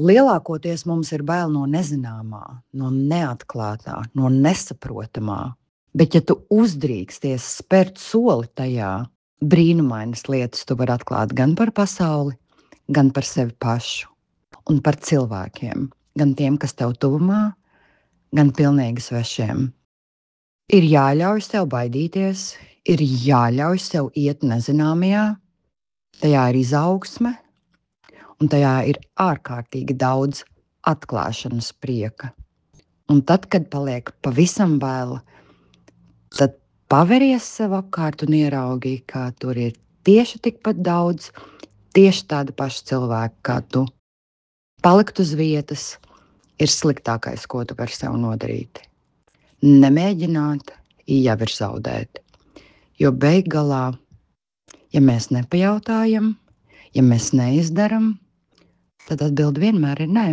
Lielākoties mums ir bail no nezināmā, no neatklātā, no nesaprotamā. Bet, ja tu uzdrīksties spērt soli tajā, brīnumainas lietas tu vari atklāt gan par pasauli, gan par sevi pašu un par cilvēkiem, gan tiem, kas tev tuvumā, gan pilnīgi svešiem. Ir jāļauj sev baidīties, ir jāļauj sev iet nezināmajā, tajā ir izaugsme, un tajā ir ārkārtīgi daudz atklāšanas prieka. Un tad, kad paliek pavisam vēl, tad paveries sev apkārt un ieraugi, ka tur ir tieši tikpat daudz, tieši tādi paši cilvēki kā tu. Palikt uz vietas ir sliktākais, ko tu vari sev nodarīt. Nemēģināt, jau ir zaudēt. Jo beig galā, ja mēs nepajautājam, ja mēs neizdaram, tad atbilde vienmēr ir nē.